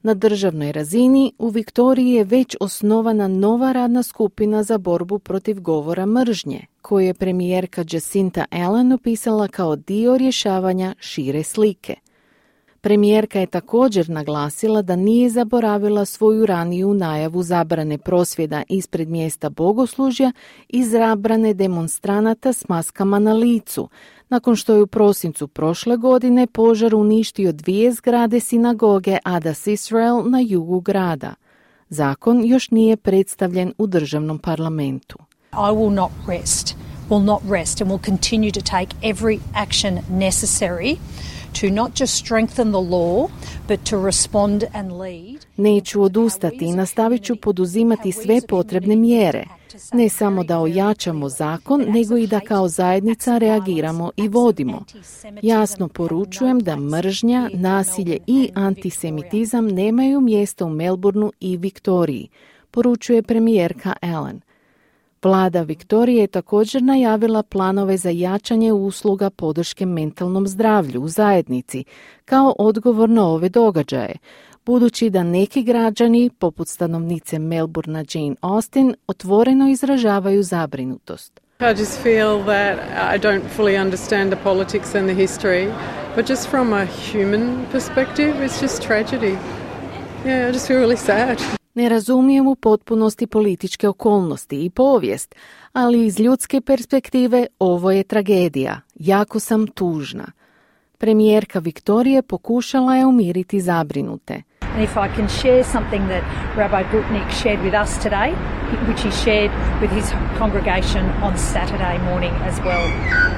Na državnoj razini u Viktoriji je već osnovana nova radna skupina za borbu protiv govora mržnje, koju je premijerka Jacinta Allen opisala kao dio rješavanja šire slike. Premijerka je također naglasila da nije zaboravila svoju raniju najavu zabrane prosvjeda ispred mjesta bogoslužja i zabrane demonstranata s maskama na licu, nakon što je u prosincu prošle godine požar uništio dvije zgrade sinagoge Adas Israel na jugu grada. Zakon još nije predstavljen u državnom parlamentu. I will not rest, will not rest and will continue to take every action necessary to not just strengthen the law, but to respond and lead. Neću odustati i nastavit ću poduzimati sve potrebne mjere. Ne samo da ojačamo zakon, nego i da kao zajednica reagiramo i vodimo. Jasno poručujem da mržnja, nasilje i antisemitizam nemaju mjesta u Melbourneu i Viktoriji, poručuje premijerka Allen. Vlada Viktorije je također najavila planove za jačanje usluga podrške mentalnom zdravlju u zajednici kao odgovor na ove događaje, budući da neki građani, poput stanovnice Melbournea Jane Austen, otvoreno izražavaju zabrinutost. I just feel that I don't fully understand the politics and the history, but just from a human perspective, it's just tragedy. Yeah, I just feel really sad. Ne razumijem u potpunosti političke okolnosti i povijest, ali iz ljudske perspektive ovo je tragedija. Jako sam tužna. Premijerka Viktorije pokušala je umiriti zabrinute. And if I can share something that Rabbi Gutnick shared with us today, which he shared with his congregation on Saturday morning as well.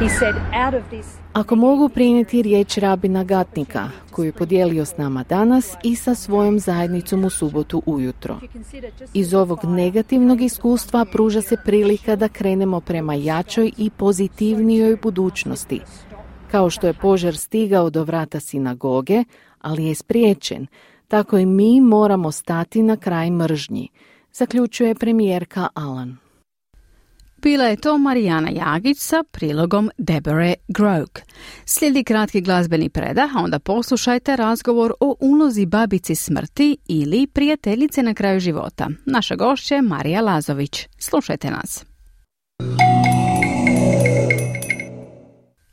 He said, out of this... Ako mogu prenijeti riječ rabina Gatnika, koju je podijelio s nama danas i sa svojom zajednicom u subotu ujutro. Iz ovog negativnog iskustva pruža se prilika da krenemo prema jačoj i pozitivnijoj budućnosti. Kao što je požar stigao do vrata sinagoge, ali je spriječen, tako i mi moramo stati na kraj mržnji, zaključuje premijerka Allen. Bila je to Marijana Jagić sa prilogom Deborah Groke. Slijedi kratki glazbeni predah, a onda poslušajte razgovor o ulozi babici smrti ili prijateljice na kraju života. Naša gošća je Marija Lazović. Slušajte nas.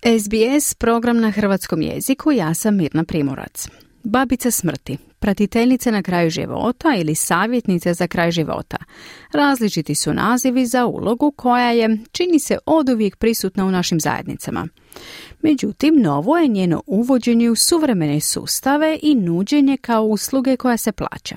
S B S program na hrvatskom jeziku, ja sam Mirna Primorac. Babica smrti, pratiteljice na kraju života ili savjetnice za kraj života. Različiti su nazivi za ulogu koja je, čini se, oduvijek prisutna u našim zajednicama. Međutim, novo je njeno uvođenje u suvremene sustave i nuđenje kao usluge koja se plaća.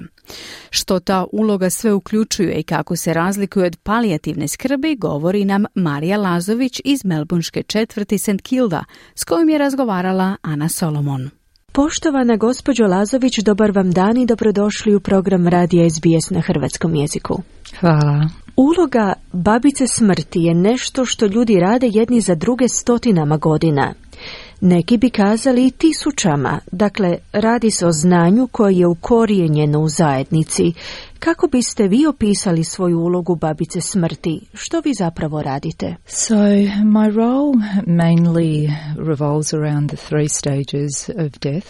Što ta uloga sve uključuje i kako se razlikuje od palijativne skrbi, govori nam Marija Lazović iz melbourneške četvrti Saint Kilda, s kojom je razgovarala Ana Solomon. Poštovana gospođo Lazović, dobar vam dan i dobrodošli u program radija S B S na hrvatskom jeziku. Hvala. Uloga babice smrti je nešto što ljudi rade jedni za druge stotinama godina. Neki bi kazali i tisućama, dakle radi se o znanju koje je ukorijenjeno u zajednici. Kako biste vi opisali svoju ulogu babice smrti? Što vi zapravo radite? So my role mainly revolves around the three stages of death.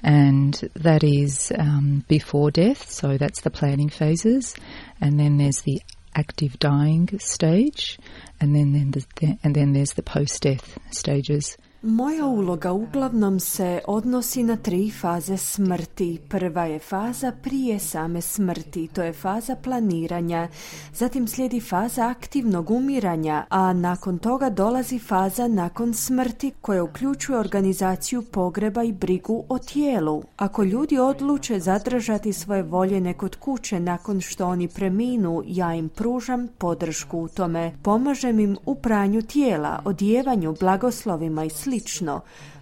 And that is um, before death, so that's the planning phases, and then there's the active dying stage, and then, then the, and then there's the post-death stages. Moja uloga uglavnom se odnosi na tri faze smrti. Prva je faza prije same smrti, to je faza planiranja. Zatim slijedi faza aktivnog umiranja, a nakon toga dolazi faza nakon smrti koja uključuje organizaciju pogreba i brigu o tijelu. Ako ljudi odluče zadržati svoje voljene kod kuće nakon što oni preminu, ja im pružam podršku u tome. Pomažem im u pranju tijela, odjevanju, blagoslovima i slično.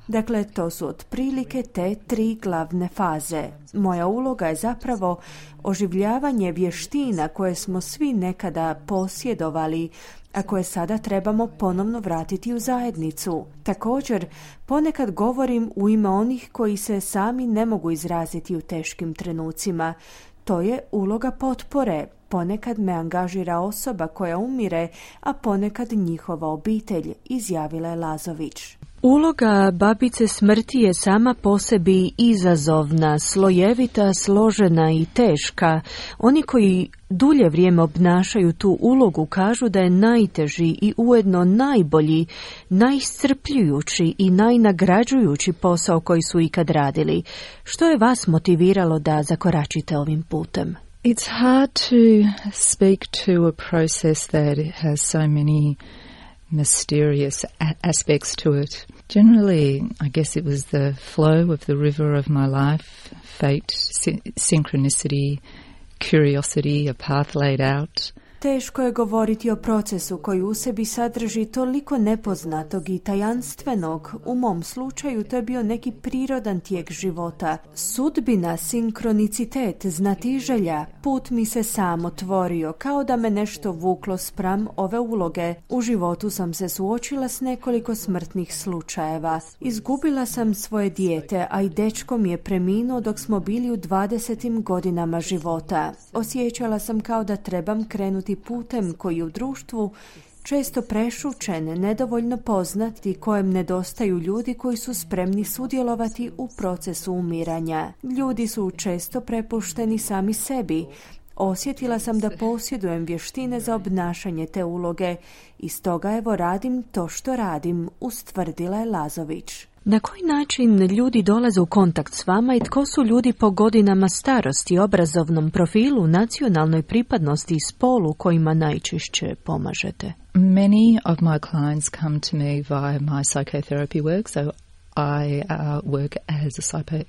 Dakle, to su otprilike te tri glavne faze. Moja uloga je zapravo oživljavanje vještina koje smo svi nekada posjedovali, a koje sada trebamo ponovno vratiti u zajednicu. Također, ponekad govorim u ime onih koji se sami ne mogu izraziti u teškim trenucima. To je uloga potpore. Ponekad me angažira osoba koja umire, a ponekad njihova obitelj, izjavila je Lazović. Uloga babice smrti je sama po sebi izazovna, slojevita, složena i teška. Oni koji dulje vrijeme obnašaju tu ulogu kažu da je najteži i ujedno najbolji, najiscrpljujući i najnagrađujući posao koji su ikad radili. Što je vas motiviralo da zakoračite ovim putem? It's hard to speak to a process that has so many mysterious a- aspects to it. Generally, I guess it was the flow of the river of my life, fate, sy- synchronicity, curiosity, a path laid out. Teško je govoriti o procesu koji u sebi sadrži toliko nepoznatog i tajanstvenog. U mom slučaju to je bio neki prirodan tijek života. Sudbina, sinkronicitet, znatiželja, put mi se sam otvorio, kao da me nešto vuklo spram ove uloge. U životu sam se suočila s nekoliko smrtnih slučajeva. Izgubila sam svoje dijete, a i dečko mi je preminuo dok smo bili u dvadesetim godinama života. Osjećala sam kao da trebam krenuti putem koji u društvu često prešućen, nedovoljno poznat i kojem nedostaju ljudi koji su spremni sudjelovati u procesu umiranja. Ljudi su često prepušteni sami sebi. Osjetila sam da posjedujem vještine za obnašanje te uloge i stoga evo radim to što radim, ustvrdila je Lazović. Na koji način ljudi dolaze u kontakt s vama i tko su ljudi po godinama starosti, obrazovnom profilu, nacionalnoj pripadnosti i spolu kojima najčešće pomažete? Many of my clients come to me via my psychotherapy work, so I uh, work as a, psycho,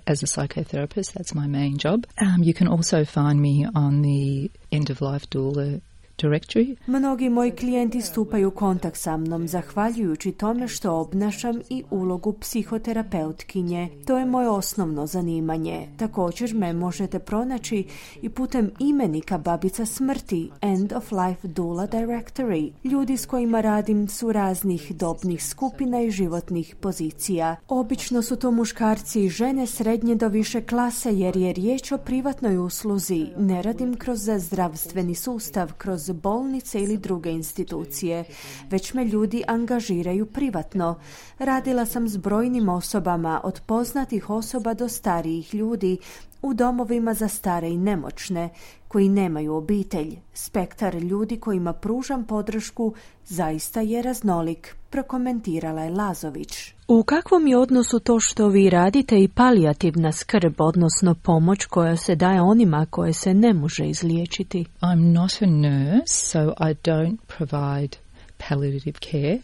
as a psychotherapist. That's my main job. Um, you can also find me on the end-of-life doula directory. Mnogi moji klijenti stupaju u kontakt sa mnom zahvaljujući tome što obnašam i ulogu psihoterapeutkinje. To je moje osnovno zanimanje. Također me možete pronaći i putem imenika babica smrti, End of Life Doula Directory. Ljudi s kojima radim su raznih dobnih skupina i životnih pozicija. Obično su to muškarci i žene srednje do više klase jer je riječ o privatnoj usluzi. Ne radim kroz zdravstveni sustav, kroz bolnice ili druge institucije, već me ljudi angažiraju privatno. Radila sam s brojnim osobama, od poznatih osoba do starijih ljudi, u domovima za stare i nemoćne, koji nemaju obitelj. Spektar ljudi kojima pružam podršku zaista je raznolik, prokomentirala je Lazović. U kakvom je odnosu to što vi radite i palijativna skrb, odnosno pomoć koja se daje onima koje se ne može izliječiti? I'm not a nurse, so I don't provide palliative care.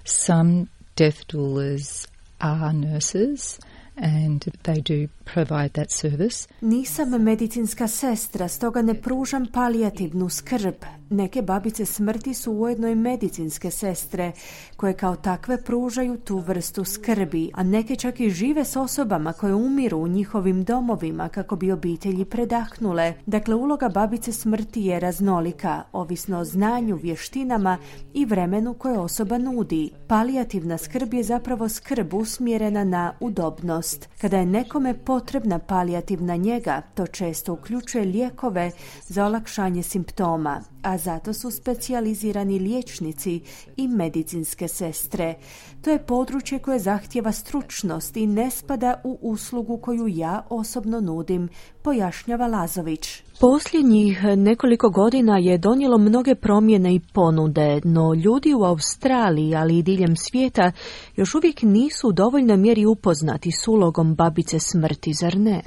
Some death doulas are nurses and they do provide that service. Nisam medicinska sestra, stoga ne pružam palijativnu skrb. Neke babice smrti su ujedno i medicinske sestre, koje kao takve pružaju tu vrstu skrbi, a neke čak i žive s osobama koje umiru u njihovim domovima kako bi obitelji predahnule. Dakle, uloga babice smrti je raznolika, ovisno o znanju, vještinama i vremenu koje osoba nudi. Palijativna skrb je zapravo skrb usmjerena na udobnost. Kada je nekome potrebna palijativna njega, to često uključuje lijekove za olakšanje simptoma, a zato su specijalizirani liječnici i medicinske sestre. To je područje koje zahtijeva stručnost i ne spada u uslugu koju ja osobno nudim, pojašnjava Lazović. Posljednjih nekoliko godina je donijelo mnoge promjene i ponude, no ljudi u Australiji, ali i diljem svijeta, još uvijek nisu u dovoljnoj mjeri upoznati s ulogom babice smrti, zar ne?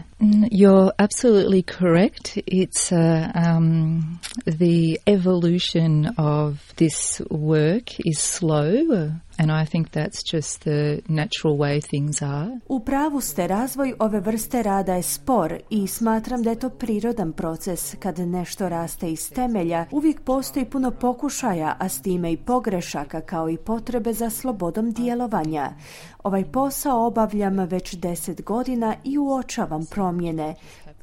You're absolutely correct. It's uh, um, the evolution of this work is slow And I think that's just the natural way things are. U pravu ste, razvoj ove vrste rada je spor i smatram da je to prirodan proces. Kad nešto raste iz temelja, uvijek postoji puno pokušaja, a s time i pogrešaka, kao i potrebe za slobodom djelovanja. Ovaj posao obavljam već deset godina i uočavam promjene.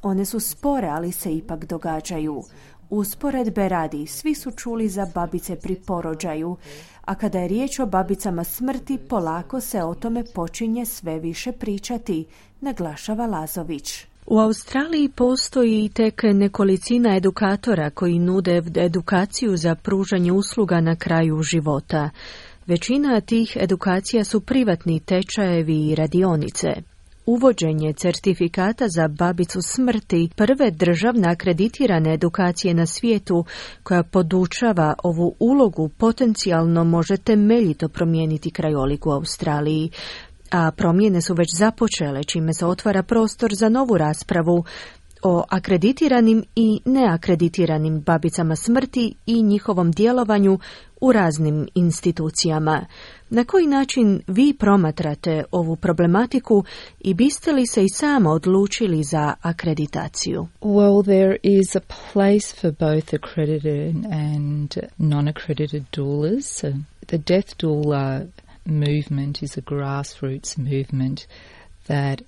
One su spore, ali se ipak događaju. Usporedbe radi, svi su čuli za babice pri porođaju, a kada je riječ o babicama smrti, polako se o tome počinje sve više pričati, naglašava Lazović. U Australiji postoji tek nekolicina edukatora koji nude edukaciju za pružanje usluga na kraju života. Većina tih edukacija su privatni tečajevi i radionice. Uvođenje certifikata za babicu smrti, prve državne akreditirane edukacije na svijetu koja podučava ovu ulogu, potencijalno može temeljito promijeniti krajolik u Australiji. A promjene su već započele, čime se otvara prostor za novu raspravu o akreditiranim i neakreditiranim babicama smrti i njihovom djelovanju u raznim institucijama. Na koji način vi promatrate ovu problematiku i biste li se i sama odlučili za akreditaciju? Well, there is a place for both accredited and non-accredited doulas. The death doula movement is a grassroots movement that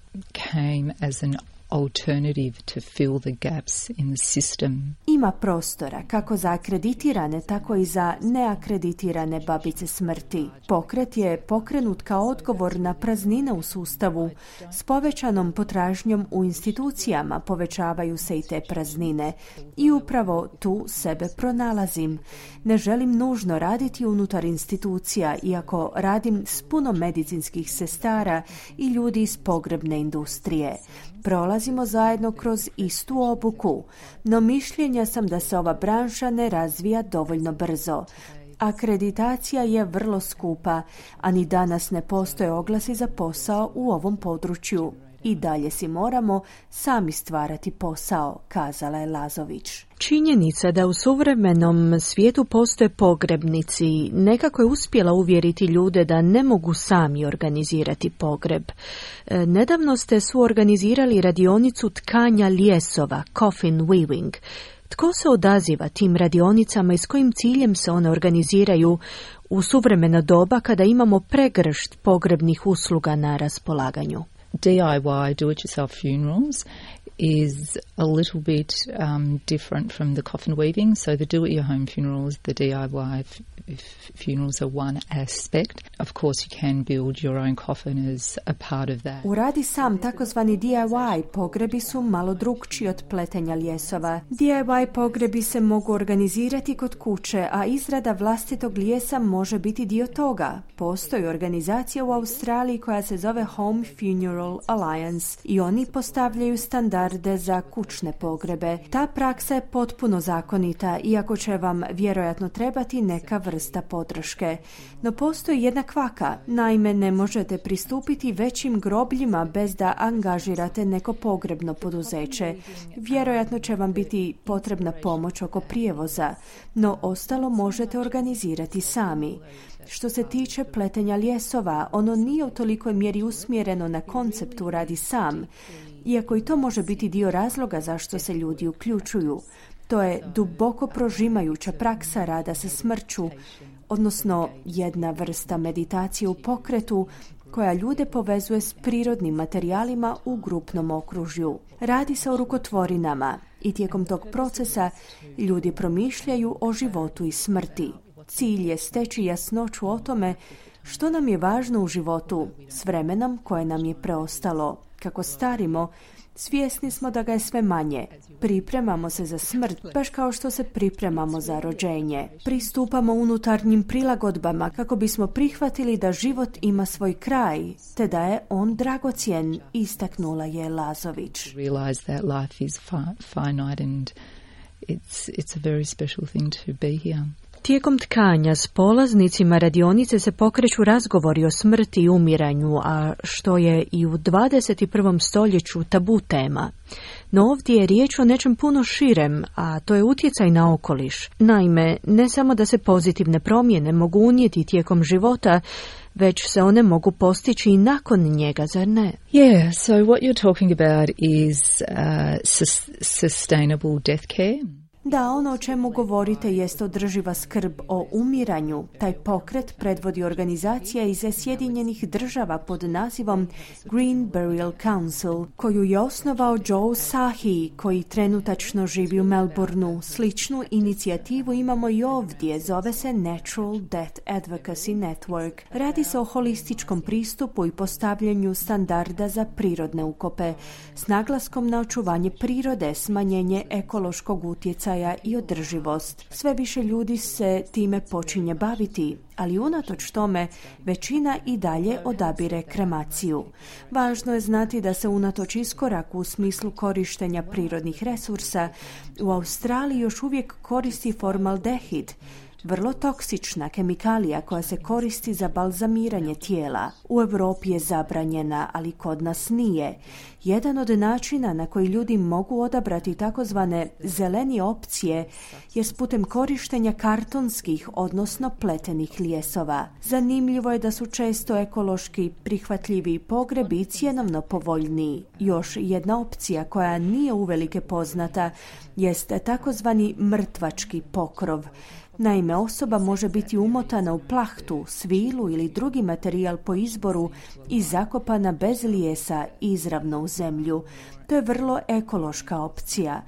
came as an alternative to fill the gaps in the system. Ima prostora kako za akreditirane, tako i za neakreditirane babice smrti. Pokret je pokrenut kao odgovor na praznine u sustavu. S povećanom potražnjom u institucijama povećavaju se i te praznine. I upravo tu sebe pronalazim. Ne želim nužno raditi unutar institucija, iako radim s puno medicinskih sestara i ljudi iz pogrebne industrije. Prolazimo zajedno kroz istu obuku, no mišljenja sam da se ova branša ne razvija dovoljno brzo. Akreditacija je vrlo skupa, a ni danas ne postoje oglasi za posao u ovom području. I dalje si moramo sami stvarati posao, kazala je Lazović. Činjenica da u suvremenom svijetu postoje pogrebnici nekako je uspjela uvjeriti ljude da ne mogu sami organizirati pogreb. Nedavno ste suorganizirali radionicu tkanja lijesova, coffin weaving. Tko se odaziva tim radionicama i s kojim ciljem se one organiziraju u suvremeno doba kada imamo pregršt pogrebnih usluga na raspolaganju? D I Y, do-it-yourself funerals, is a little bit um, different from the coffin weaving. So the do-it-your-home funerals, the D I Y f- f- funerals are one aspect. Of course, you can build your own coffin as a part of that. Uradi sam, takozvani D I Y pogrebi su malo drukčiji od pletenja lijesova. D I Y pogrebi se mogu organizirati kod kuće, a izrada vlastitog lijesa može biti dio toga. Postoji organizacija u Australiji koja se zove Home Funeral Alliance i oni postavljaju standarde za kućne pogrebe. Ta praksa je potpuno zakonita, iako će vam vjerojatno trebati neka vrsta podrške. No postoji jedna kvaka, naime ne možete pristupiti većim grobljima bez da angažirate neko pogrebno poduzeće. Vjerojatno će vam biti potrebna pomoć oko prijevoza, no ostalo možete organizirati sami. Što se tiče pletenja lijesova, ono nije u tolikoj mjeri usmjereno na konceptu radi sam, iako i to može biti dio razloga zašto se ljudi uključuju. To je duboko prožimajuća praksa rada sa smrću, odnosno jedna vrsta meditacije u pokretu koja ljude povezuje s prirodnim materijalima u grupnom okružju. Radi se o rukotvorinama i tijekom tog procesa ljudi promišljaju o životu i smrti. Cilj je steći jasnoću o tome što nam je važno u životu s vremenom koje nam je preostalo. Kako starimo, svjesni smo da ga je sve manje. Pripremamo se za smrt, baš kao što se pripremamo za rođenje. Pristupamo unutarnjim prilagodbama kako bismo prihvatili da život ima svoj kraj, te da je on dragocjen, istaknula je Lazović. Realize that life is fi- finite and it's it's a very special thing to be here. Tijekom tkanja s polaznicima radionice se pokreću razgovori o smrti i umiranju, a što je i u dvadeset prvom stoljeću tabu tema. No ovdje je riječ o nečem puno širem, a to je utjecaj na okoliš. Naime, ne samo da se pozitivne promjene mogu unijeti tijekom života, već se one mogu postići i nakon njega, zar ne? Yeah, so what you're talking about is uh, sus- sustainable death care. Da, ono o čemu govorite jest održiva skrb o umiranju. Taj pokret predvodi organizacija iz Sjedinjenih država pod nazivom Green Burial Council, koju je osnovao Joe Sahi, koji trenutačno živi u Melbourneu. Sličnu inicijativu imamo i ovdje, zove se Natural Death Advocacy Network. Radi se o holističkom pristupu i postavljanju standarda za prirodne ukope, s naglaskom na očuvanje prirode, smanjenje ekološkog utjecaja i održivost. Sve više ljudi se time počinje baviti, ali unatoč tome većina i dalje odabire kremaciju. Važno je znati da se unatoč iskoraku u smislu korištenja prirodnih resursa u Australiji još uvijek koristi formaldehid, vrlo toksična kemikalija koja se koristi za balzamiranje tijela. U Europi je zabranjena, ali kod nas nije. Jedan od načina na koji ljudi mogu odabrati takozvane zeleni opcije je putem korištenja kartonskih, odnosno pletenih ljesova. Zanimljivo je da su često ekološki prihvatljivi pogrebi i cjenovno povoljniji. Još jedna opcija koja nije uvelike poznata jest takozvani mrtvački pokrov. Naime, osoba može biti umotana u plahtu, svilu ili drugi materijal po izboru i zakopana bez lijesa izravno u zemlju. To je vrlo ekološka opcija.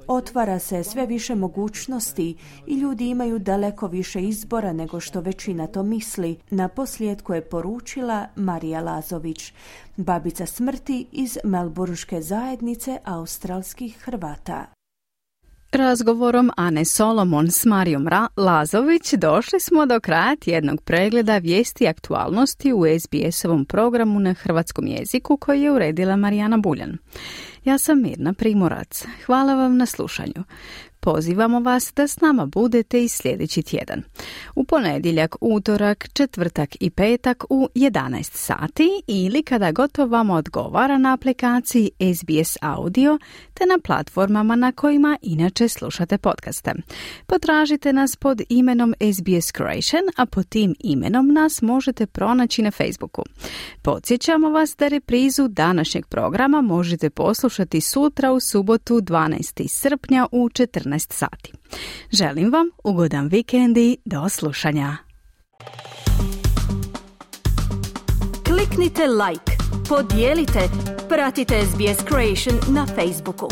Otvara se sve više mogućnosti i ljudi imaju daleko više izbora nego što većina to misli. Naposljetku je poručila Marija Lazović, babica smrti iz melburnške zajednice australskih Hrvata. Razgovorom Ane Solomon s Marijom Ra- Lazović došli smo do kraja tjednog pregleda vijesti i aktualnosti u S B S-ovom programu na hrvatskom jeziku koji je uredila Marijana Buljan. Ja sam Mirna Primorac. Hvala vam na slušanju. Pozivamo vas da s nama budete i sljedeći tjedan. U ponedjeljak, utorak, četvrtak i petak u jedanaest sati ili kada god vam odgovara na aplikaciji S B S Audio te na platformama na kojima inače slušate podcaste. Potražite nas pod imenom S B S Croatian, a pod tim imenom nas možete pronaći na Facebooku. Podsjećamo vas da reprizu današnjeg programa možete poslušati sutra u subotu dvanaestog srpnja u četrnaest sati. Želim vam ugodan vikend i do slušanja. Kliknite like, podijelite, pratite S B S Croatian na Facebooku.